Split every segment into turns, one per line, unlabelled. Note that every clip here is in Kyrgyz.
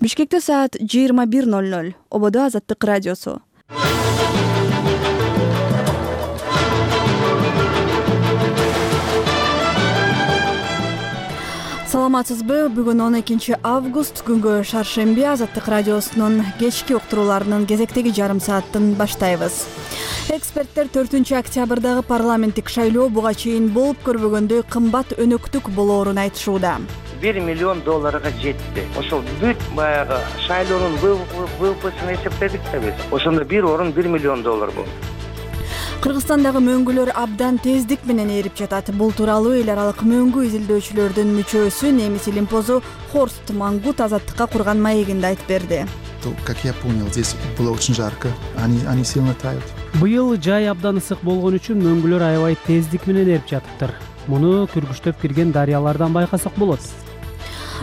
Бишкекте саат 21:00. Ободо Азаттык радиосу. Саламатсызбы? Бүгүн 12 август күнгө шаршемби Азаттык радиосунун кечки уктурууларынын кезектеги жарым саатын баштайбыз. Эксперттер 4 октябрдагы парламенттик шайлоо буга чейин болуп көрбөгөндөй кымбат өнөктүк болоорун айтышууда.
$1 миллион жетти. Ошол бүт баягы шайлоонун ВВПсин эсептедик да биз. Ошондо бир орун $1 миллион болду.
Кыргызстандагы мөңгүлөр абдан тездик менен ээрип жатат. Бул тууралуу эл аралык мөңгү изилдөөчүлөрдүн мүчөсү немис илимпозу Хорст Мангут Азаттыкка курган маегинде айтып берди.
Как я понял, здесь было очень жарко. Они сильно тают.
Быйыл жай абдан ысык болгон үчүн мөңгүлөр аябай тездик менен ээрип жатыптыр. Муну күргүчтөп кирген дарыялардан байкасак болот.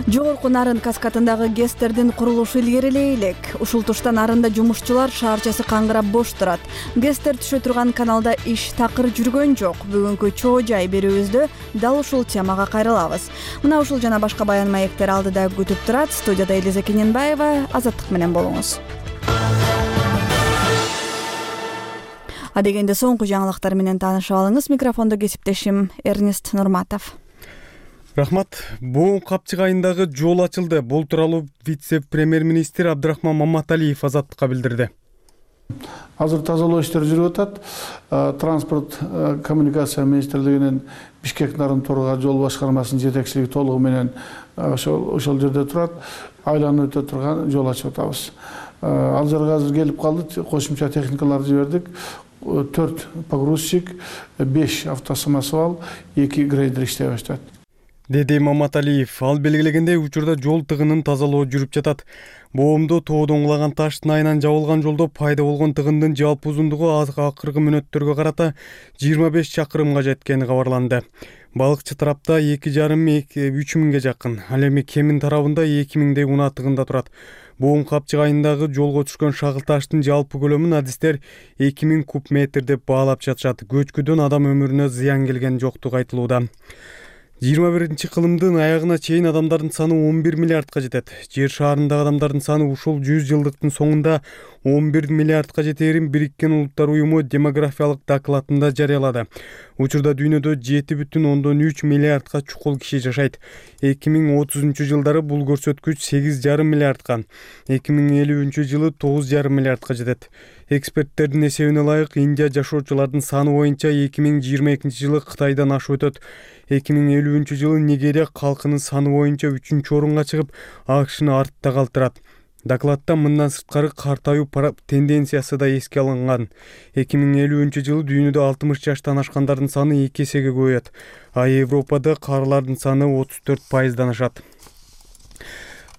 Жогорку Нарын каскадындагы ГЭСтердин курулушу илгерилей элек. Ушул тушта Нарында жумушчулар шаарчасы каңгырап бош турат. ГЭСтер түшө турган каналда иш такыр жүргөн жок. Бүгүнкү чоо жай берүүбүздө дал ушул темага кайрылабыз. Мына ушул жана башка баян маектер алдыда күтүп турат. Студияда Элиза Кененбаева. Азаттык менен болуңуз. Адегенде соңку жаңылыктар менен таанышып алыңыз. Микрофондо кесиптешим Эрнест Нурматов.
Рахмат. Боон Капчык айындагы жол ачылды. Бул тууралуу вице-премьер-министр Абдрахман Маматалиев Азаттыкка билдирди.
Азыр тазалоо иштери жүрүп атат. Транспорт коммуникация министрлигинин Бишкек Нарын Торга жол башкармасынын жетекчилиги толугу менен ошол жерде турат. Айланып өтө турган жол ачып атабыз. Ал жерге азыр келип калды. Кошумча техникаларды жибердик. 4 погрузчик, 5 автосамосвал, 2 грейдер иштей баштады.
Деди Маматалиев. Ал белгилегендей учурда жол тыгынын тазалоо жүрүп жатат. Боомдо тоодон кулаган таштын айынан жабылган жолдо пайда болгон тыгындын жалпы узундугу акыркы мүнөттөргө карата 25 чакырымга жеткени кабарланды. Балыкчы тарапта 2,5–3 миңге жакын, ал эми Кемин тарабында 2 миңдей унаа тыгында турат. Боон Капчык айындагы жолго түшкөн шагыл таштын жалпы көлөмүн адистер 2000 куб метр деп баалап жатышат. Көчкүдөн адам өмүрүнө зыян келген жоктугу айтылууда. 21 кылымдын аягына чейин адамдардын саны 11 миллиардка жетет. Жер шаарындагы адамдардын саны ушул 100 жылдыктын соңунда 11 миллиардка жетээрин Бириккен Улуттар уюму демографиялык докладында жарыялады. Учурда дүйнөдө 7,3 миллиардка чукул киши жашайт. 2030 жылдары бул көрсөткүч 8,5 миллиардка, 2050 жылы 9,5 миллиардка жетет. Эксперттердин эсебине ылайык Индия жашоочулардын саны боюнча 2022 жылы Кытайдан ашып өтөт. 2050 жылы Нигерия калкынын саны боюнча 3-орунга чыгып, АКШны артта калтырат. Докладта мындан сырткары картаюу тенденциясы да эске алынган. 2050 жылы дүйнөдө 60 жаштан ашкандардын саны 2 эсеге көбөйөт, а Европада карылардын саны 34%дан ашат.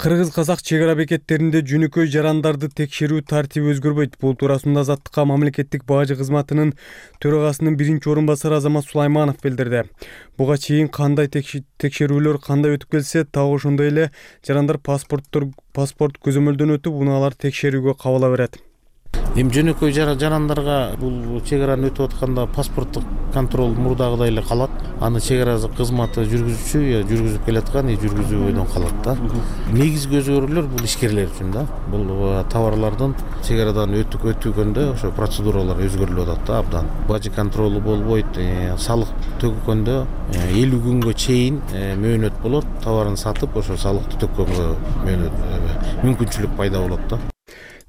Кыргыз-казак чек ара бекеттеринде жөнөкөй жарандарды текшерүү тартиби өзгөрбөйт. Бул туурасында Азаттыкка мамлекеттик бажы кызматынын төрагасынын 1-орун басары Азамат Сулайманов билдирди. Буга чейин кандай текшерүүлөр кандай өтүп келсе, так ошондой эле жарандар паспорт көзөмөлдөн өтүп, унаалар текшерүүгө кабыла берет.
Эми жөнөкөй жарандарга бул чек араны өтүп атканда паспорттук контроль мурдагыдай эле калат. Аны чек ара кызматы жүргүзүүчү жүргүзүп келаткан, жүргүзүүдөн калат да. Негизги өзгөрүүлөр бул ишкерлер үчүн да. Бул товарлардын чек арадан өтүгөндө ошо процедуралар өзгөрүлүп атат да абдан. Бажы контролу болбойт, салык төгкөндө 50 күнгө чейин мөөнөт болот. Товарын сатып, ошо салыкты төккөнгө мүмкүнчүлүк пайда болот да.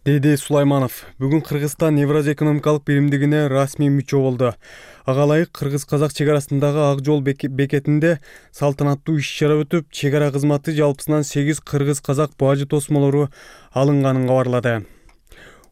Деди Сулайманов. Бүгүн Кыргызстан Евразия экономикалык биримдигине расмий мүчө болду. Ага ылайык Кыргыз-казак чек арасындагы Ак жол бекетинде салтанаттуу иш-чара өтүп, чек ара кызматы жалпысынан 8 кыргыз-казак бажы тосмолору алынганын кабарлады.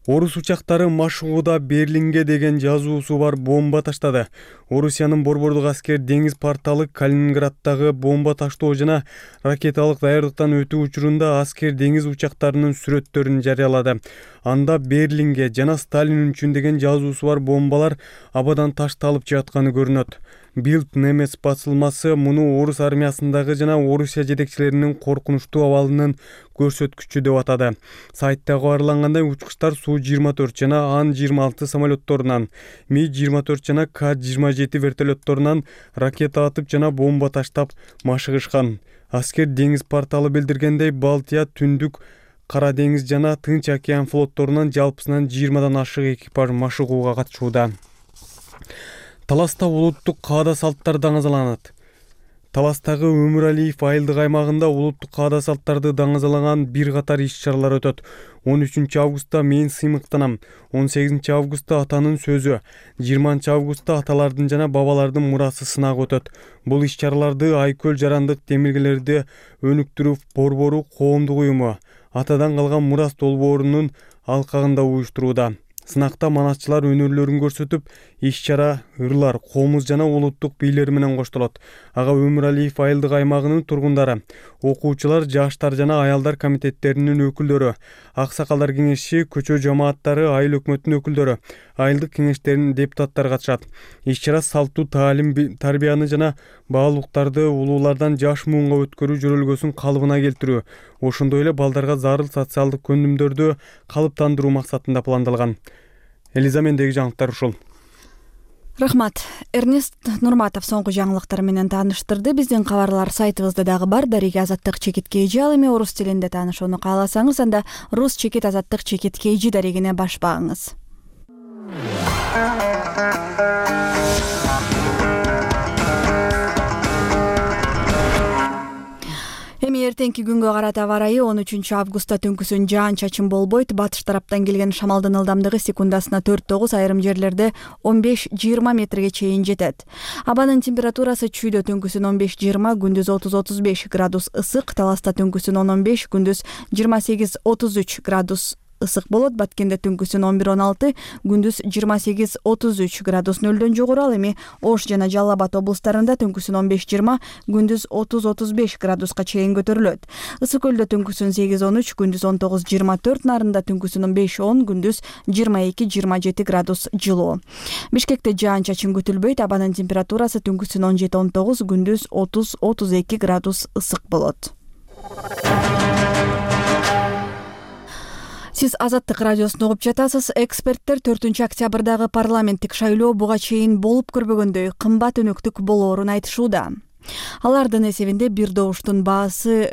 Орус учактары Машугуда Берлинге деген жазуусу бар бомба таштады. Орусиянын борбордук аскер деңиз порталы Калининграддагы бомба таштоо жана ракеталык даярдыктан өтүү учурунда аскер деңиз учактарынын сүрөттөрүн жарыялады. Анда Берлинге жана Сталин үчүн деген жазуусу бар бомбалар абадан ташталып жатканы көрүнөт. Билд немец басылмасы муну орус армиясындагы жана Орусия жетекчилеринин коркунучтуу абалынын көрсөткүчү деп атады. Сайтта кабарлангандай, учкучтар Су-24 жана Ан-26 самолетторунан, Ми-24 жана К-27 вертолетторунан ракета атып жана бомба таштап машыгышкан. Аскер деңиз порталы билдиргендей, Балтия, Түндүк, Кара деңиз жана Тынч океан флотторунан жалпысынан 20дан ашык экипаж машыгууга катышууда. Таласта улуттук каада салттар даңазаланат. Таластагы Өмүралиев айылдык аймагында улуттук каада салттарды даңазалаган бир катар иш-чаралар өтөт. 13 августта мен сыймыктанам, 18 августта атанын сөзү, 20 августта аталардын жана бабалардын мурасы сынагы өтөт. Бул иш-чараларды Айкөл жарандык темиргелерди өнүктүрүү борбору коомдук уюму атадан калган мурас долбоорунун алкагында уюштурууда. Сынакта манатчылар өнөрлөрүн көрсөтүп, иш-чара ырлар, комуз жана улуттук бийлер менен коштолот. Ага Өмүралиев айылдык аймагынын тургундары, окуучулар, жаштар жана аялдар комитеттеринин өкүлдөрү, аксакалдар кеңеши, көчө жамааттары, айыл өкмөтүнүн өкүлдөрү, айылдык кеңештеринин депутаттары катышат. Иш-чара салтуу таалим, тарбияны жана баалуулуктарды улуулардан жаш муунга өткөрүү жөрөлгөсүн калыбына келтирүү, ошондой эле балдарга зарыл социалдык көндүмдөрдү калыптандыруу максатында пландалган. Элиза, мендеги жаңылыктар ушул.
Рахмат. Эрнест Нурматов соңку жаңылыктар менен тааныштырды. Биздин кабарлар сайтыбызда дагы бар. Дарига Азаттык чекит KG. Ал эми орус тилинде таанышууну кааласаңыз, анда рус чекит Азаттык чекит KG дарегине баш багыңыз. Эми эртеңки күнгө карата аба ырайы 13 августта түнкүсүн жаан-чачын болбойт. Батыш тараптан келген шамалдын ылдамдыгы секундасына 4-9, айрым жерлерде 15-20 метрге чейин жетет. Абанын температурасы чүйдө түнкүсүн 15-20, күндүз 30-35 градус ысык, Таласта түнкүсүн 10-15, күндүз 28-33 градус ысык болот. Баткенде түнкүсүн 11-16, күндүз 28-33 градус нөлдөн жогору. Ал эми Ош жана Жалал Абад облустарында түнкүсүн 15-20, күндүз 30-35 градуска чейин көтөрүлөт. Ысык көлдө түнкүсүн 8-13, күндүз 19-24, Нарында түнкүсүн 5-10, күндүз 22-27 градус жылуу. Бишкекте жаан-чачын күтүлбөйт. Абанын температурасы түнкүсүн 17-19, күндүз 30-32 градус ысык болот. Сиз Азаттык радиосун угуп жатасыз. Эксперттер 4-октябрдагы парламенттик шайлоо буга чейин болуп көрбөгөндөй кымбат өнөктүк болоорун айтышууда. Алардын эсебинде бир добуштун баасы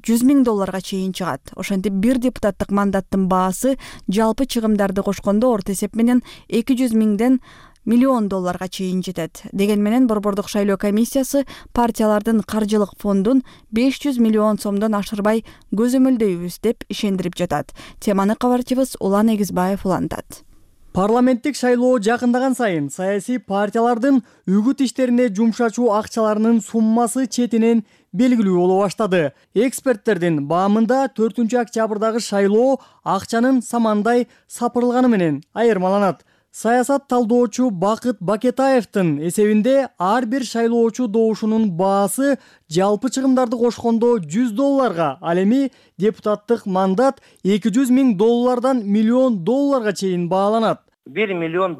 $100,000 чейин чыгат. Ошентип бир депутаттык мандаттын баасы жалпы чыгымдарды кошкондо орто эсеп менен $200,000 миллион чейин жетет. Деген менен Борбордук шайлоо комиссиясы партиялардын каржылык фондун 500 миллион сомдон ашырбай көзөмөлдөйбүз деп ишендирип жатат. Теманы кабарчыбыз Улан Эгизбаев улантат.
Парламенттик шайлоо жакындаган сайын саясий партиялардын үгүт иштерине жумшачуу акчаларынын суммасы четинен белгилүү боло баштады. Эксперттердин баамында 4-октябрдагы шайлоо акчанын самандай сапырылганы менен айырмаланат. Саясат талдоочу Бакыт Бакетаевдин эсебинде ар бир шайлоочу добушунун баасы жалпы чыгымдарды кошкондо $100, ал эми депутаттык мандат $200,000 миллион чейин бааланат.
$1 миллион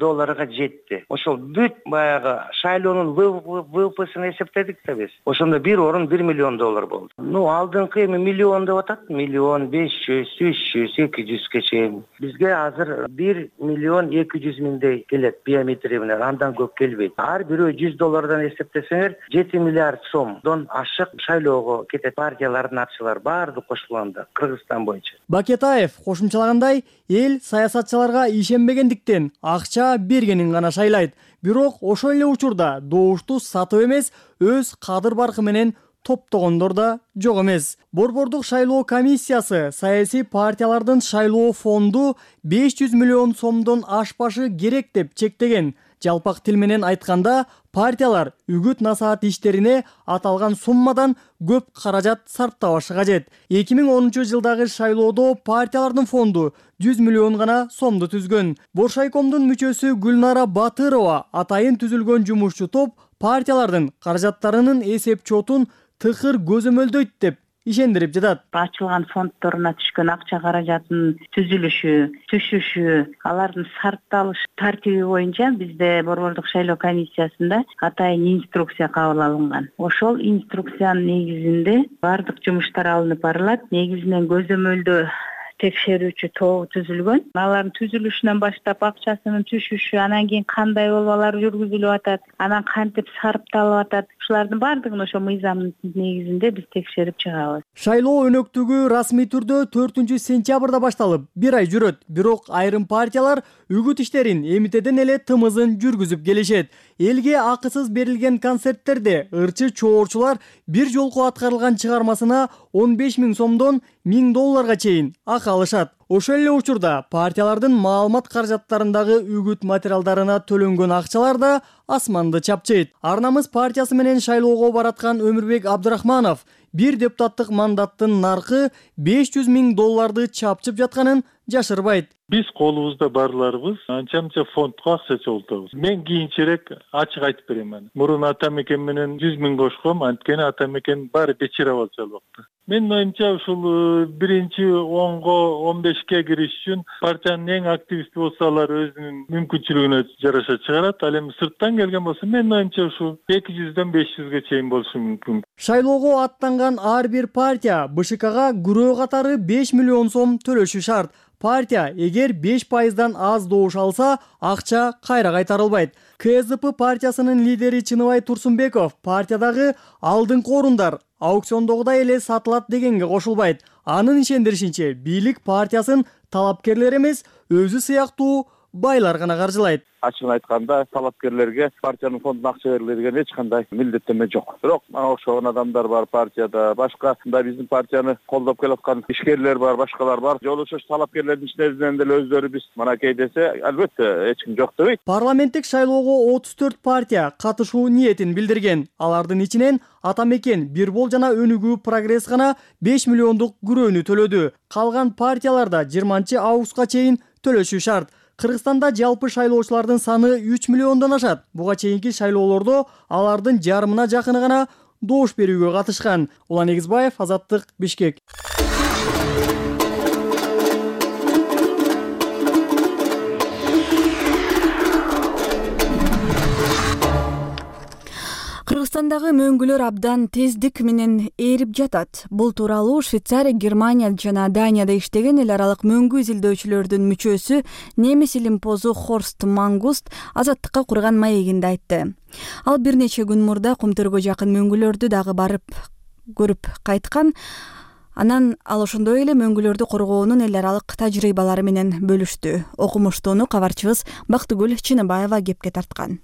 жетти. Ошол бүт баягы шайлоонун ВВПсын эсептедик да биз. Ошондо бир орун $1 миллион болду. Алдыңкы эми миллион деп атат, 1 500 300 200 чейин. Бизге азыр $1 200,000 келет биометрия менен, андан көп келбейт. Ар бирөө $100 эсептесеңер, 7 миллиард сомдон ашык шайлоого кетет. Партиялардын акчалары баардык кошулганда Кыргызстан боюнча.
Бакетаев кошумчалагандай, эл саясатчыларга ишенбегендиктен акча бергенин гана шайлайт. Бирок ошол эле учурда добушту сатып эмес, өз кадыр баркы менен топтогондор да жок эмес. Борбордук шайлоо комиссиясы саясий партиялардын шайлоо фонду 500 миллион сомдон ашпашы керек деп чектеген. Жалпак тил менен айтканда, партиялар үгүт насаат иштерине аталган суммадан көп каражат сарптабашы кажет. 2010-жылдагы шайлоодо партиялардын фонду 100 миллион гана сомду түзгөн. Боршайкомдун мүчөсү Гүлнара Батырова атайын түзүлгөн жумушчу топ партиялардын каражаттарынын эсеп чотун тыкыр көзөмөлдөйт деп ишендирип жатат.
Ачылган фондторуна түшкөн акча каражатынын түшүшү, алардын сарпталыш тартиби боюнча бизде Борбордук шайлоо комиссиясында атайын инструкция кабыл алынган. Ошол инструкциянын негизинде бардык жумуштар алынып барылат. Негизинен көзөмөлдөө текшерүүчү тобу түзүлгөн. Алардын түзүлүшүнөн баштап акчасынын түшүшү, анан кийин кандай болболор жүргүзүлүп атат, анан кантип сарпталып атат, ушулардын баардыгын ошо мыйзамдын негизинде биз текшерип чыгабыз.
Шайлоо өнөктүгү расмий түрдө 4-сентябрда башталып, 1 ай жүрөт. Бирок айрым партиялар үгүт иштерин эмитеден эле тымызын жүргүзүп келишет. Элге акысыз берилген концерттерде ырчы чоорчулар бир жолку аткарылган чыгармасына 15 000 сомдон $1000 чейин акы алышат. Ошол эле учурда партиялардын маалымат каражаттарындагы үгүт материалдарына төлөнгөн акчалар да асманды чапчыйт. Арнамыз партиясы менен шайлоого бараткан Өмүрбек Абдрахманов бир депутаттык мандаттын наркы $500 000 чапчып жатканын жашырбайт.
Биз колубузда барларыбыз анча-мынча фондко акча чогултабыз. Мен кийинчерээк ачык айтып берем. Мурун ата мекен менен 100 000 кошком, анткени ата мекен баары бечара болчу ал убакта. Менин оюмча ушул биринчи 10го 15ке кириш үчүн партиянын эң активисти болсо алар өзүнүн мүмкүнчүлүгүнө жараша чыгарат. Ал эми сырттан келген болсо менин оюмча ушул 200дөн 500ге чейин болушу мүмкүн.
Шайлоого аттанган ар бир партия БШКга күрөө катары 5 миллион сом төлөшү шарт. Партия эгер 5%дан аз добуш алса, акча кайра кайтарылбайт. КСДП партиясынын лидери Чыныбай Турсунбеков партиядагы алдыңкы орундар аукциондогудай эле сатылат дегенге кошулбайт. Анын ишендиришинче, бийлик партиясын талапкерлер эмес, өзү сыяктуу байлар гана каржылайт.
Ачыгын айтканда, талапкерлерге партиянын фондуна акча берилет деген эч кандай милдеттенме жок. Бирок мага окшогон адамдар бар партияда, башка мындай биздин партияны колдоп келаткан ишкерлер бар, башкалар бар. Жол ошо талапкерлердин ичинен деле өздөрү биз манакей десе, албетте эч ким жок дебейт.
Парламенттик шайлоого 34 партия катышуу ниетин билдирген. Алардын ичинен Ата мекен, Бирбол жана Өнүгүү Прогресс гана 5 миллиондук күрөөнү төлөдү. Калган партияларда 20-августка чейин төлөшү шарт. Кыргызстанда жалпы шайлоочулардын саны 3 миллиондон ашат. Буга чейинки шайлоолордо алардын жарымына жакыны гана добуш берүүгө катышкан. Улан Эгизбаев, Азаттык, Бишкек.
Кыргызстандагы мөңгүлөр абдан тездик менен ээрип жатат. Бул тууралуу Швейцария, Германия жана Данияда иштеген эл аралык мөңгү изилдөөчүлөрдүн мүчөсү немис илимпозу Хорст Мангуст Азаттыкка курган маегинде айтты. Ал бир нече күн мурда Кумтөргө жакын мөңгүлөрдү дагы барып көрүп кайткан. Анан ал ошондой эле мөңгүлөрдү коргоонун эл аралык тажрыйбалары менен бөлүштү. Окумуштууну кабарчыбыз Бактыгүл Чыныбаева кепке тарткан.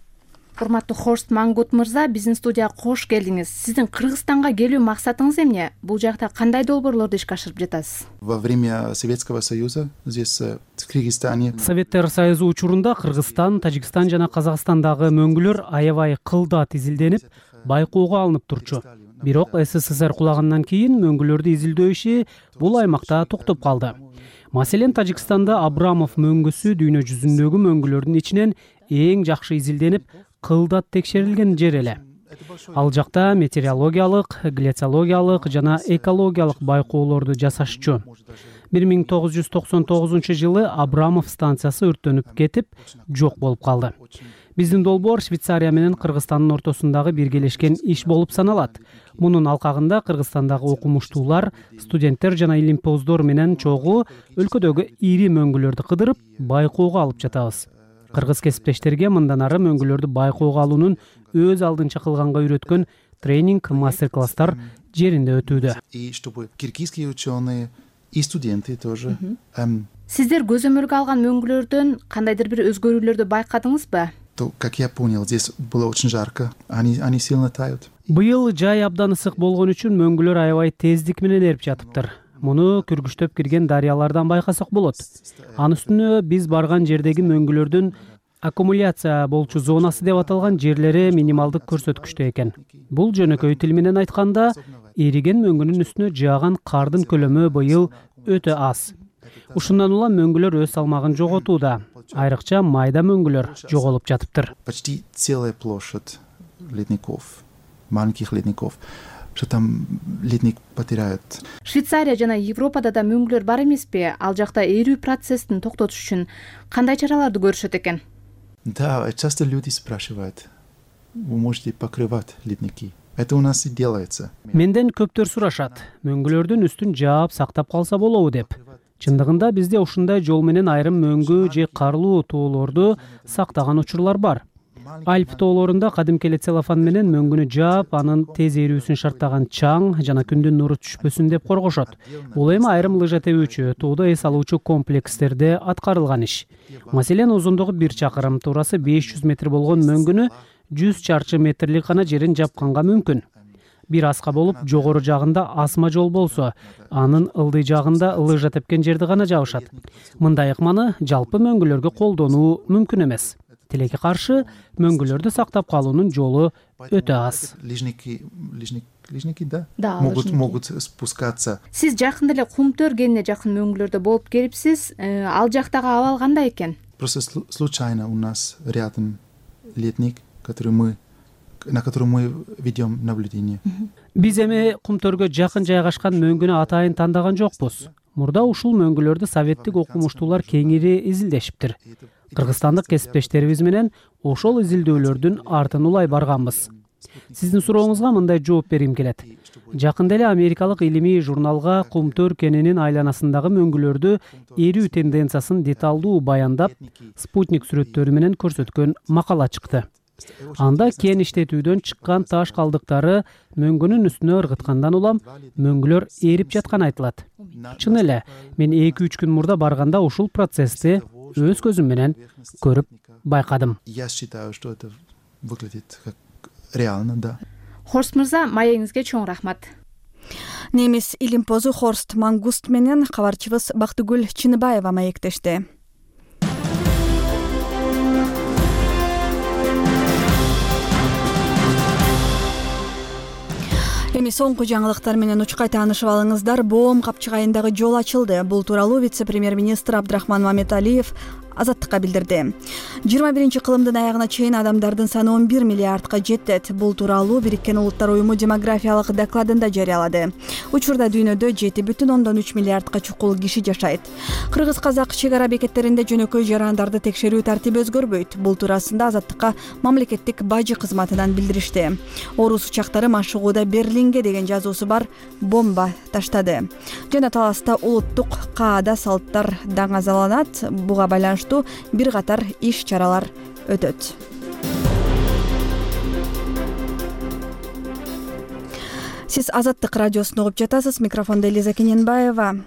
Урматтуу Хорст Мангут мырза, биздин студияга кош келдиңиз. Сиздин Кыргызстанга келүү максатыңыз эмне? Бул жакта кандай долбоорлорду ишке ашырып жатасыз?
Во время Советского Союза здесь в Кыргызстане.
Советтер Союзу учурунда Кыргызстан, Тажикстан жана Казакстандагы мөңгүлөр аябай кылдат изилденип, байкоого алынып турчу. Бирок СССР кулагандан кийин мөңгүлөрдү изилдөө иши бул аймакта токтоп калды. Маселен, Тажикстанда Абрамов мөңгүсү дүйнө жүзүндөгү мөңгүлөрдүн ичинен эң жакшы изилденип, кылдат текшерилген жер эле. Ал жакта метеорологиялык, глициологиялык жана экологиялык байкоолорду жасашчу. 1999-жылы Абрамов станциясы өрттөнүп кетип, жок болуп калды. Биздин долбоор Швейцария менен Кыргызстандын ортосундагы биргелешкен иш болуп саналат. Мунун алкагында Кыргызстандагы окумуштуулар, студенттер жана илимпоздор менен чогуу өлкөдөгү ири мөңгүлөрдү кыдырып, байкоого алып жатабыз. Кыргыз кесиптештерге мындан ары мөңгүлөрдү байкоого алуунун өз алдынча кылганга үйрөткөн тренинг, мастер-класстар жеринде өтүүдө.
И чтобы киргизские ученые и студенты тоже.
Сиздер көзөмөлгө алган мөңгүлөрдөн кандайдыр бир өзгөрүүлөрдү байкадыңызбы?
То, как я понял, здесь было очень жарко. Они сильно тают.
Быйыл жай абдан ысык болгон үчүн мөңгүлөр аябай тездик менен эрип жатыптыр. Муну күргүчтөп кирген дарыялардан байкасак болот. Анын үстүнө биз барган жердеги мөңгүлөрдүн аккумуляция болчу зонасы деп аталган жерлери минималдык көрсөткүчтө экен. Бул жөнөкөй тил менен айтканда, эриген мөңгүнүн үстүнө жааган кардын көлөмү быйыл өтө аз. Ушундан улам мөңгүлөр өз салмагын жоготууда. Айрыкча майда мөңгүлөр жоголуп жатыптыр.
Почти целая площадь ледников, маленьких ледников. Что там ледник потеряют.
Швейцария жана Европада да мөңгүлөр бар эмеспи? Ал жакта эрүү процессин токтотуш үчүн кандай чараларды көрүшөт экен?
Да, часто люди спрашивают: вы можете покрывать ледники? Это у нас и делается.
Менден көптөр сурашат. Мөңгүлөрдүн үстүн жаап сактап калса болобу деп. Чындыгында бизде ушундай жол менен айрым мөңгү же карлуу тоолорду сактаган учурлар бар. Альп тоолорунда кадимки эле целлофан менен мөңгүнү жаап, анын тез эрүүсүн шарттаган чаң жана күндүн нуру түшпөсүн деп коргошот. Бул эми айрым лыжа тебүүчү, тоодо эс алуучу комплекстерде аткарылган иш. Маселен, узундугу 1 чакырым, туурасы 500 метр болгон мөңгүнү 100 чарчы метрлик гана жерин жапканга мүмкүн. Бир аска болуп, жогору жагында асма жол болсо, анын ылдый жагында лыжа тепкен жерди гана жабышат. Мындай ыкманы жалпы мөңгүлөргө колдонуу мүмкүн эмес. Тилекке каршы, мөңгүлөрдү сактап калуунун жолу өтө аз.
Лыжники, да, могут спускаться.
Сиз жакында эле Кумтөр кенine жакын мөңгүлөрдө болуп келипсиз. Ал жактагы абал кандай экен?
Просто случайно у нас рядом летник, на котором мы ведем наблюдение.
Биз эми Кумтөргө жакын жайгашкан мөңгүнү атайын тандаган жокпуз. Мурда ушул мөңгүлөрдү советтик окумуштуулар кеңири изилдешиптир. Кыргызстандык кесиптештерибиз менен ошол изилдөөлөрдүн артын улай барганбыз. Сиздин сурооңузга мындай жооп бергим келет. Жакында эле америкалык илимий журналга Кумтөр кенинин айланасындагы мөңгүлөрдү эрүү тенденциясын деталдуу баяндап, спутник сүрөттөрү менен көрсөткөн макала чыкты. Анда кен иштетүүдөн чыккан таш калдыктары мөңгүнүн үстүнө ыргыткандан улам мөңгүлөр эрип жатканы айтылат. Чын эле, мен 2-3 күн мурда барганда ушул процессти өз көзүм менен көрүп байкадым.
Я считаю, что это выглядит как реально, да.
Хорст мырза, маегиңизге чоң рахмат.
Немис илимпозу Хорст Мангуст менен кабарчыбыз Бактыгүл Чыныбаева маектешти. Эми соңку жаңылыктар менен учкай таанышып алыңыздар. Боом капчыгайындагы жол ачылды. Бул тууралуу вице-премьер-министр Абдрахман Мамедалиев Азаттыкка билдирди. 21-кылымдын аягына чейин адамдардын саны 11 миллиардка жетет. Бул тууралуу Бириккен Улуттар уюму демографиялык докладында жарыялады. Учурда дүйнөдө 7,3 миллиардка чукул киши жашайт. Кыргыз-казак чек ара бекеттеринде жөнөкөй жарандарды текшерүү тартиби өзгөрбөйт. Бул туурасында Азаттыкка мамлекеттик бажы кызматынан билдиришти. Орус учактары машыгууда Берлинге деген жазуусу бар бомба таштады. Жана таласта улуттук каада салттар даңазаланат. Буга байланыштуу бир катар иш-чаралар өтөт. Сиз Азаттык радиосун угуп жатасыз. Микрофондо Элиза Кененбаева.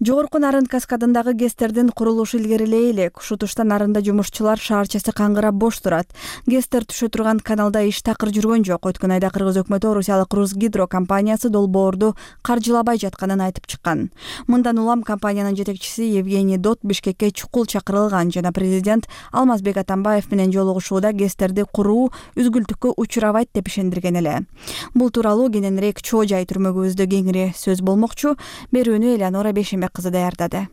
Жогорку Нарын каскадындагы ГЭСтердин курулушу илгерилей элек. Ушул тушта Нарында жумушчулар шаарчасы каңгырап бош турат. ГЭСтер түшө турган каналда иш такыр жүргөн жок. Өткөн айда Кыргыз өкмөтү Орусиялык Русгидро компаниясы долбоорду каржылабай жатканын айтып чыккан. Мындан улам компаниянын жетекчиси Евгений Дот Бишкекке чукул чакырылган жана президент Алмазбек Атамбаев менен жолугушууда ГЭСтерди куруу үзгүлтүккө учурабайт деп ишендирген эле. Бул тууралуу кененирээк Чоо Жай түрмөгүбүздө кеңири сөз болмокчу. Берүүнү Элеонора Бешембек кызы даярдады.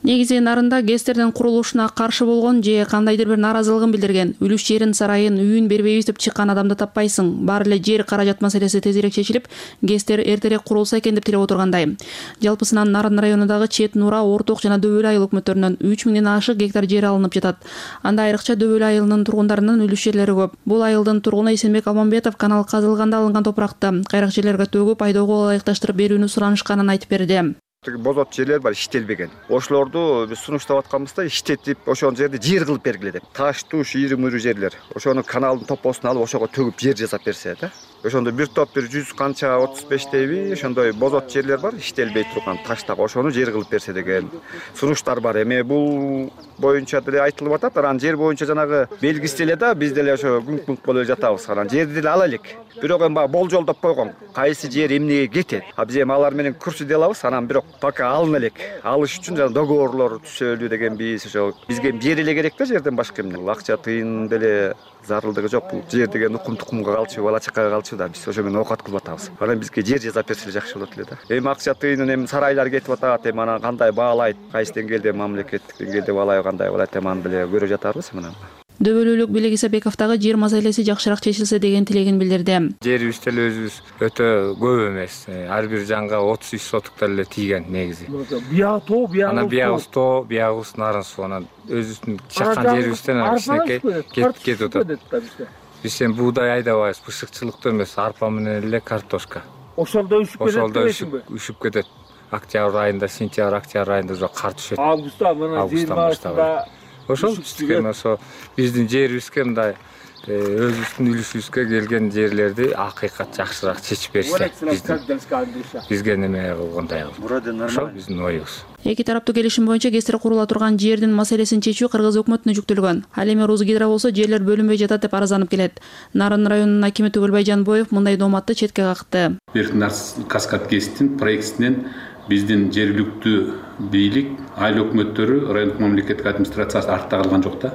Негизи Нарында ГЭСтердин курулушуна каршы болгон же кандайдыр бир наразылыгын билдирген, үлүш жерин сарайын үйүн бербейбиз деп чыккан адамды таппайсың. Баары эле жер каражат маселеси тезирээк чечилип, ГЭСтер эртерээк курулса экен деп тилеп отургандай. Жалпысынан Нарын районундагы Чет, Нура, Орток жана Дөбөл айыл өкмөттөрүнөн 3000ден ашык гектар жер алынып жатат. Анда айрыкча Дөбөл айылынын тургундарынын үлүш жерлери көп. Бул айылдын тургуну Эсенбек Алмамбетов канал казылганда алынган топуракты кайрак жерлерге төгүп, айдоого ылайыкташтырып берүүнү суранышканын айтып берди.
Бозот жерлер бар, иштелбеген. Ошолорду биз сунуштап атканбызда иштетип, ошол жерди жер кылып бергиле деп. Таш, туш, ийри-мүйрү жерлер. Ошону каналдын топосун алып, ошого төгүп жер жасап берсе да. Ошондо бир топ бир 100 канча 35 дейби, ошондой бозот жерлер бар, иштелбей турган таштак, ошону жер кылып берсе деген сунуштар бар. Эми бул боюнча деле айтылып атат. Анан жер боюнча жанагы белгиси эле да, биз деле ошо күңк болуп жатабыз. Анан жерди деле ала элек. Бирок эми болжолдоп койгон. Кайсы жер эмнеге кетет? А биз эми алар менен көрсөтө алабыз. Анан бирок пока алына элек. Алыш үчүн жана договорлор түзөлүү деген биз ошо бизге жер эле керек да, жерден башка эмне. Акча тыйын деле зарылдыгы жок. Бул жер деген укум-тукумга калчу, бала чакага калчу да. Биз ошо менен оокат кылып атабыз. Анан бизге жер жасап берсе жакшы болот эле да. Эми акча тыйынын эми сарайлар кетип атат. Эми анан кандай баалайт? Кайсы деңгээлде мамлекеттик деңгээлде баалайбы, кандай болот? Эми аны деле көрө жатарбыз менен.
Дөбөлүүлүк Белек Исабековдагы жер маселеси жакшыраак чечилсе деген тилегин билдирди.
Жерибиз деле өзүбүз өтө көп эмес. Ар бир жанга 33 сотуктар эле тийген негизи.
Биягы тоо, биягы.
Анан биягыбыз тоо, биягыбыз Нарын суу. Анан өзүбүздүн чаккан жерибизден кичинекей кетип атат. Биз эми буудай айдабайбыз, бышыкчылыктуу эмес, арпа менен эле картошка.
Ошолдо үшүп кетет.
Ошолдо үшүп кетет. октябрь айында, сентябрь, октябрь айында уже кар түшөт.
Августта мына 20
ошол биздики биздин жерибизге мындай өзүбүздүн үлүшүбүзгө келген жерлерди акыйкат жакшыраак чечип берсе, бизге неме болгондой ошол биздин оюбуз.
Эки тараптуу келишим боюнча ГЭСтер курула турган жердин маселесин чечүү Кыргыз өкмөтүнө жүктөлгөн. Ал эми Русгидро болсо жерлер бөлүнбөй жатат деп арызданып келет. Нарын районунун акими Түгөлбай Жанбоев мындай дооматты четке какты.
Каскад ГЭСтин проектисинен биздин жергиликтүү бийлик, айыл өкмөттөрү, райондук мамлекеттик администрациясы артта калган жок да.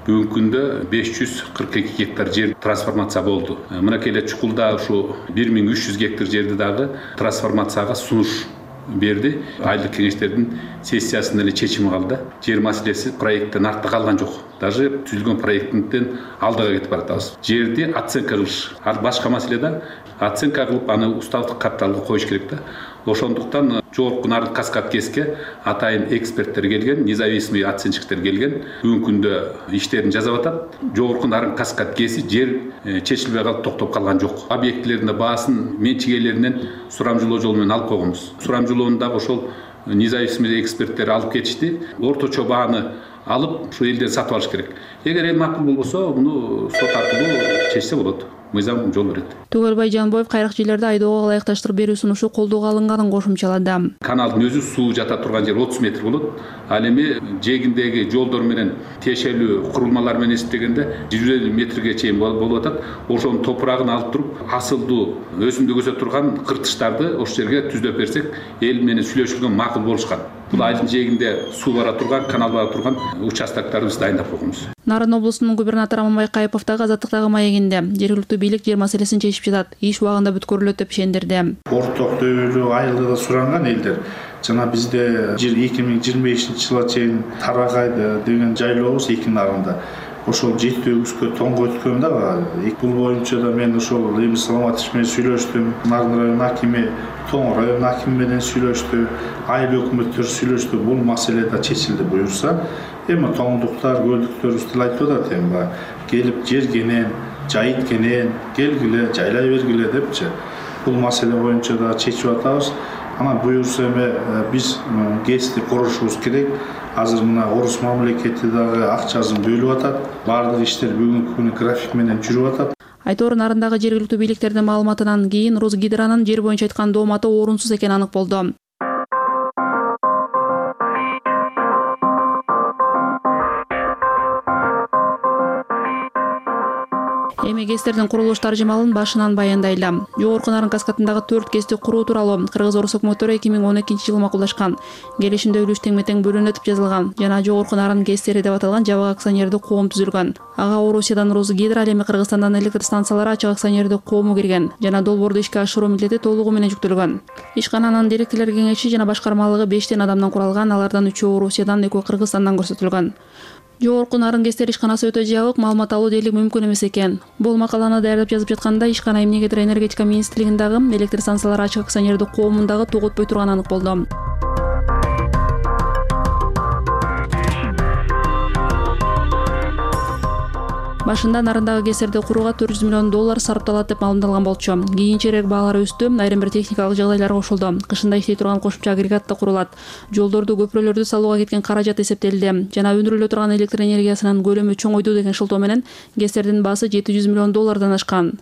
Бүгүнкү күндө 542 гектар жер трансформация болду. Мынакей эле Чукулда ушу 1300 гектар жерди дагы трансформацияга сунуш берди. Айылдык кеңештердин сессиясында эле чечими калды. Жер маселеси проекттен артта калган жок. Даже түзүлгөн проекттен алдыга кетип баратабыз. Жерди оценка кылыш. Ал башка маселе да. Оценка кылып аны уставдык капиталга коюш керек да. Ошондуктан жогорку Нарын Каскад ГЭСке атайын эксперттер келген, независимый оценщиктер келген. Бүгүнкү күндө иштерин жасап атат. Жогорку Нарын Каскад ГЭСи жер чечилбей калып токтоп калган жок. Объектилердин баасын менчигейлеринен сурамжылоо жолу менен алып койгонбуз. Сурамжылоону дагы ошол независимый эксперттер алып кетишти. Орточо бааны алып ушу элден сатып алыш керек. Эгер эл макул болбосо, муну сот аркылуу чечсе болот. Мыйзам жол берет.
Түгөлбай Жанбоев кайрак жерлерди айдоого ылайыкташтырып берүү сунушу колдоого алынганын кошумчалады.
Каналдын өзү суу жата турган жер 30 метр болот. Ал эми жээгиндеги жолдор менен тиешелүү курулмалар менен эсептегенде 150 метрге чейин болуп атат. Ошонун топурагын алып туруп, асылдуу өсүмдүк өсө турган кыртыштарды ошол жерге түздөп берсек, эл менен сүйлөшүлгөн макул болушкан. Бул айылдын жээгинде суу бара турган, канал бара турган участокторду биз дайындап койгонбуз.
Нарын облусунун губернатору Аманбай Кайыпов дагы Азаттыктагы маегинде жергиликтүү бийлик жер маселесин чечип жатат, иш убагында бүткөрүлөт деп ишендирди.
Орток дөөлүү айылда суранган элдер жана бизде 2025-жылга чейин тарагайды деген жайлообуз эки нарында. Ошол 7-өгүзгө тоңго өткөн да. Бул боюнча да мен ошол Эми Саламатович менен сүйлөштүм. Нарын район акими, Тоң район акими менен сүйлөштү. Айыл өкмөттөр сүйлөштү. Бул маселе да чечилди буюрса. Эми тоңдуктар, көлдүктөрүбүз айтып атат эми келип жергенен, жайыткенен, келгиле, жайлай бергиле депчи. Бул маселе боюнча да чечип атабыз. Анан буюрса эми биз ГЭСти курушубуз керек. Азыр мына орус мамлекети дагы акчасын бөлүп атат. Бардык иштер бүгүнкү күнү график менен жүрүп атат.
Айтору Нарындагы жергиликтүү бийликтердин маалыматынан кийин Русгидронун жер боюнча айткан дооматы орунсуз экени анык болду. Эми ГЭСтердин курулуш таржымалын башынан баяндайлы. Жогорку Нарын Каскадындагы 4 ГЭСти куруу тууралуу Кыргыз-Орус өкмөттөрү 2012-жылы макулдашкан. Келишимде үлүш тең-метең бөлүнөт деп жазылган жана Жогорку Нарын ГЭСтери деп аталган жабык акционердик коом түзүлгөн. Ага Орусиядан Русгидро, ал эми Кыргызстандан электр станциялары ачык акционердик коому кирген жана долбоорду ишке ашыруу милдети толугу менен жүктөлгөн. Ишкананын директорлор кеңеши жана башкармалыгы 5 адамдан куралган, алардан 3 Орусиядан, 2 Кыргызстандан көрсөтүлгөн. Жогорку Нарын ГЭСтер ишканасы өтө жабык, маалымат алуу дээрлик мүмкүн эмес экен. Бул макаланы даярдап жазып жатканда ишкана эмнегедир энергетика министрлигиндагы электр станциялары ачык акционердик коомундагы тоготпой турганы анык болду. Башында Нарындагы ГЭСтерди курууга $400 миллион сарпталат деп маалымдалган болчу. Кийинчерээк баалар өстү, айрым бир техникалык жагдайлар кошулду. Кышында иштей турган кошумча агрегат да курулат. Жолдорду, көпүрөлөрдү салууга кеткен каражат эсептелди. Жана өндүрүлө турган электр энергиясынын көлөмү чоңойду деген шылтоо менен ГЭСтердин баасы $700 миллион ашкан.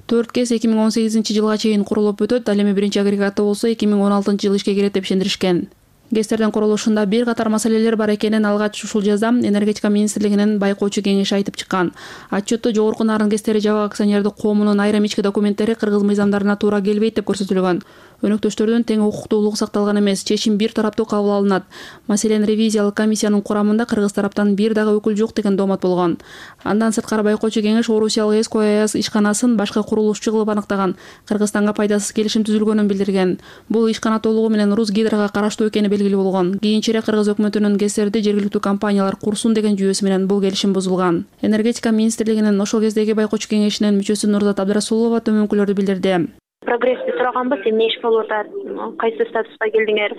4 ГЭС 2018-жылга чейин курулуп өтөт, ал эми биринчи агрегаты болсо 2016-жылы ишке кирет деп ишендиришкен. ГЭСтердин курулушунда бир катар маселелер бар экенин алгач ушул жазда энергетика министрлигинин байкоочу кеңеши айтып чыккан. Отчетто Жогорку Нарын ГЭСтери жабык акционердик коомунун айрым ички документтери кыргыз мыйзамдарына туура келбейт деп көрсөтүлгөн. Өнөктөштөрдүн тең укуктуулугу сакталган эмес, чечим бир тараптуу кабыл алынат. Маселен, ревизиялык комиссиянын курамында кыргыз тараптан бир дагы өкүл жок деген доомат болгон. Андан сырткары байкоочу кеңеш Орусиялык СКА ишканасын башка курулушчу кылып аныктаган, Кыргызстанга пайдасыз келишим түзүлгөнүн билдирген. Бул ишкана толугу менен Русгидрога караштуу экени белгилүү болгон. Кийинчерээк Кыргыз өкмөтүнүн ГЭСтерди жергиликтүү компаниялар курсун деген жүйөсү менен бул келишим бузулган. Энергетика министрлигинин ошол кездеги байкоочу кеңешинин мүчөсү Нурзат Абдрасулова төмөнкүлөрдү билдирди.
Прогрессти сураганбыз, эмне иш болуп атат, кайсы статуска келдиңер,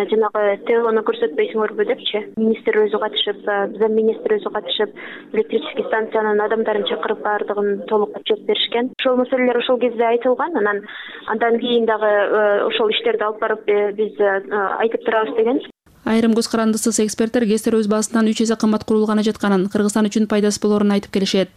жанагы ТОну көрсөтпөйсүңөрбү депчи. Министр өзү катышып, замминистр өзү катышып, электрический станциянын адамдарын чакырып баардыгын толук отчет беришкен. Ошол маселелер ошол кезде айтылган, андан кийин дагы ошол иштерди алып барып биз айтып турабыз деген.
Айрым көз карандысыз эксперттер ГЭСтер өз баасынан 3 эсе кымбат курулганы жатканын, Кыргызстан үчүн пайдасыз болоорун айтып келишет.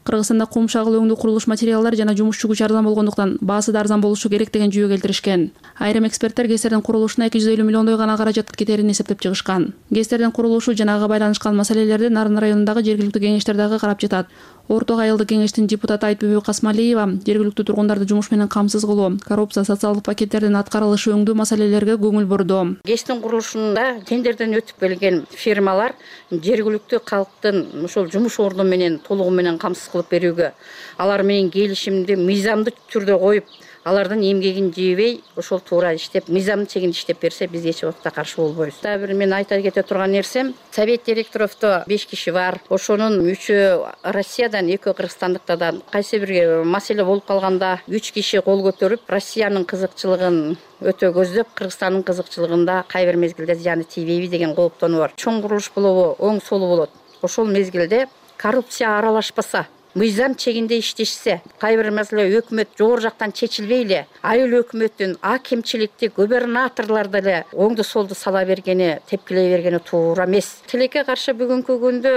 Кыргызстанда кум шагыл өңдүү курулуш материалдары жана жумушчу күч арзан болгондуктан баасы да арзан болушу керек деген жүйө келтиришкен. Айрым эксперттер ГЭСтердин курулушуна 250 миллиондой гана каражат кетерин эсептеп чыгышкан. ГЭСтердин курулушу жанагы байланышкан маселелерди Нарын районундагы жергиликтүү кеңештер дагы карап жатат. Орток айылдык кеңештин депутаты Айтбүбү Касмалиева жергиликтүү тургундарды жумуш менен камсыз кылуу, коррупция, социалдык пакеттердин аткарылышы өңдүү маселелерге көңүл бурду.
ГЭСтин курулушунда тендерден өтүп келген фирмалар жергиликтүү калктын ошол жумуш орду менен толугу менен камсыз кылып берүүгө, алар менен келишимди мыйзамдуу түрдө коюп, алардын эмгегин жебей, ошол туура иштеп, мыйзамдын чегинде иштеп берсе, биз эч убакта каршы болбойбуз. Дагы бир мен айта кете турган нерсем, совет директоровдо 5 киши бар. Ошонун 3-ü Россиядан, 2-ü Кыргызстандыктардан. Кайсы бир маселе болуп калганда 3 киши кол көтөрүп, Россиянын кызыкчылыгын өтө көздөп, Кыргызстандын кызыкчылыгында кай бир мезгилде зыяны тийбейби деген кооптонуу бар. Чоң курулуш болобу, оң солу болот. Ошол мезгилде коррупция аралашпаса, мыйзам чегинде иштешсе, кай бир маселе өкмөт жогору жактан чечилбей эле, айыл өкмөттүн акимчиликти губернаторлор деле оңду солду сала бергени, тепкилей бергени туура эмес. Тилекке каршы бүгүнкү күндө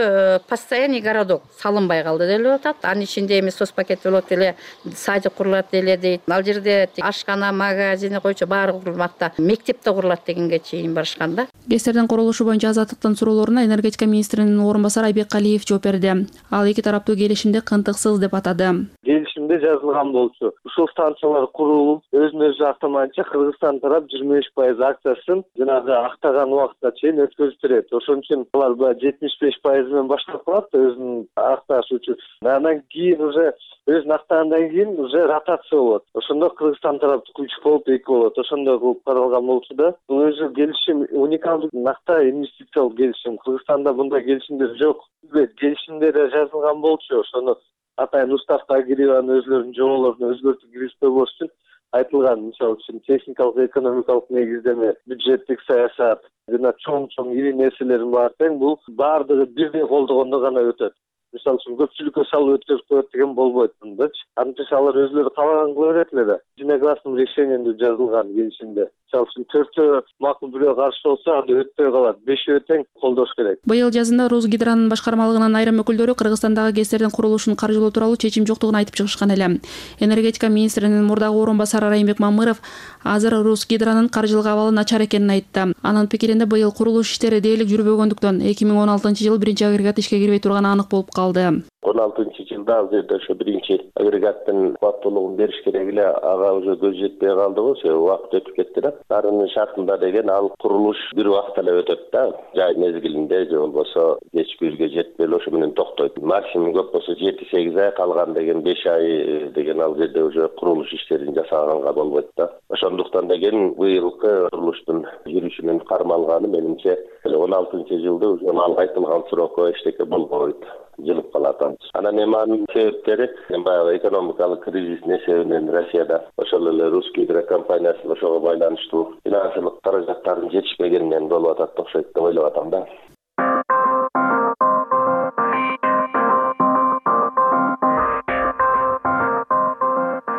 постоянный городок салынбай калды делип атат. Анын ичинде эми соцпакет болот деле, садик курулат деле дейт. Ал жерде ашкана, магазини койчу баары курулмакта, мектепте курулат дегенге чейин барышкан да.
ГЭСтердин курулушу боюнча Азаттыктын суроолоруна энергетика министринин орун басары Айбек Калиев жооп берди. Ал эки тараптуу келишимди кантыксыз деп атады.
Келишимде жазылган болчу. Ушул станциялар курулуп, өзүн-өзү актамайынча Кыргызстан тарап 25% акциясын жанагы актаган убакытка чейин өткөзүп берет. Ошон үчүн алар 75% менен баштап калат өзүн акташ үчүн. Андан кийин уже өзүн актагандан кийин уже ротация болот. Ошондо Кыргызстан тараптыкы 3 болуп 2 болот. Ошондой кылып каралган болчу да. Бул өзү келишим уникалдуу накта инвестициялык келишим. Кыргызстанда мындай келишимдер жок. Келишимдер жазылган болчу. Ошону атайын уставка киргизген өзлөрүнүн жоболорун өзгөртүп киргизбөө үчүн айтылган. Мисалы үчүн техникалык, экономикалык негиздеме, бюджеттик саясат жана чоң ири нерселерин бар тең бул баардыгы бирдей колдогондо гана өтөт. Мисалы үчүн көпчүлүккө салып өткөрүп коет деген болбойт мындачы. Антип алар өзлөрү каалаган кыла берет эле да. Единогласным решениемде жазылган келишимде. Мисалы үчүн 4-өө макул бирөө каршы болсо, анда өтпөй калат. 5-өө тең колдош керек.
Быйыл жазында Росгидронун башкармалыгынын айрым өкүлдөрү Кыргызстандагы ГЭСтердин курулушун каржылоо тууралуу чечим жоктугун айтып чыгышкан эле. Энергетика министринин мурдагы орун басары Райымбек Мамыров азыр Росгидронун каржылык абалы начар экенин айтты. Анын пикиринде быйыл курулуш иштери дээрлик жүрбөгөндүктөн 2016-жылы 1-агрегат ишке кирбей турганы анык болуп калды.
16-жылда ал жерде ошо биринчи агрегаттын кубаттуулугун бериш керек эле, ага уже көз жетпей калдыбы, убакыт өтүп кетти да. Нарынын шартында деген ал курулуш бир убакытта эле өтөт да, жай мезгилинде же болбосо кеч күзгө жетпей эле ошо менен токтойт. Максимум көп болсо 7-8 ай, калган деген 5 ай деген ал жерде уже курулуш иштерин жасаганга болбойт да. Ошондуктан деген быйылкы курулуштун жүрүшүнүн кармалганы менимче 16-жылда уже ал айтылган срокко эчтеке болбойт. Жылып калат. Анан эми анын себептери баягы экономикалык кризистин эсебинен Россияда ошол эле русский компаниясы ошого байланыштуу финансылык каражаттардын жетишпегенинен болуп атат окшойт деп ойлоп атам да.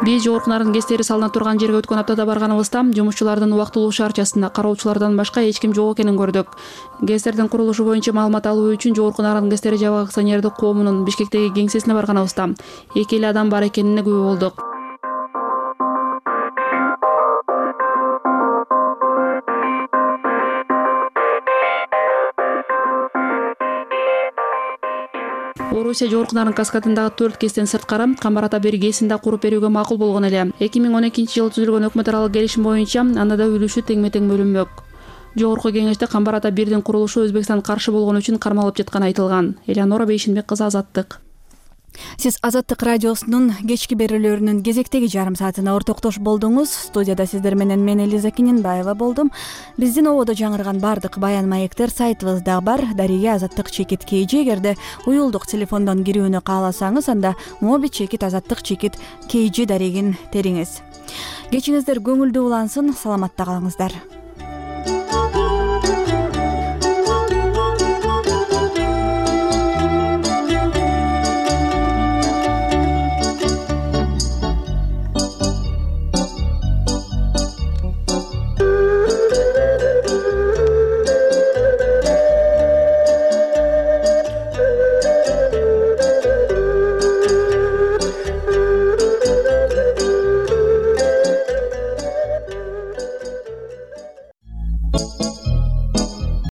Биз жогорку Нарын ГЭСтери салына турган жерге өткөн аптада барганыбызда жумушчулардын убактылуу шаарчасында кароочулардан башка эч ким жок экенин көрдүк. ГЭСтердин курулушу боюнча маалымат алуу үчүн жогорку Нарын ГЭСтери жабык акционердик коомунун Бишкектеги кеңсесине барганыбызда 2 эле адам бар экенине күбө болдук. Орусия жогорку Нарын каскадындагы 4 ГЭСтен сырткары Камбар ата 1 ГЭСин да куруп берүүгө макул болгон эле. 2012-жылы түзүлгөн өкмөт аралык келишим боюнча анда да үлүшү теңме-тең бөлүнмөк. Жогорку кеңеште Камбар ата 1-дин курулушу Өзбекстан каршы болгон үчүн кармалып жатканы айтылган. Элеонора Бейшинбек кызы, Азаттык.
Сиз Азаттык радиосунун кечки берүүлөрүнүн кезектеги жарым саатына ортоктош болдуңуз. Студияда сиздер менен мен Элиза Киненбаева болдум. Биздин ободо жаңырган бардык баян маектер сайтыбызда бар. Дария азаттык чекит KG. Эгерде уюлдук телефондон кирүүнү кааласаңыз, анда моби чекит азаттык чекит KG дарегин териңиз. Кечиңиздер көңүлдүү улансын, саламатта калыңыздар.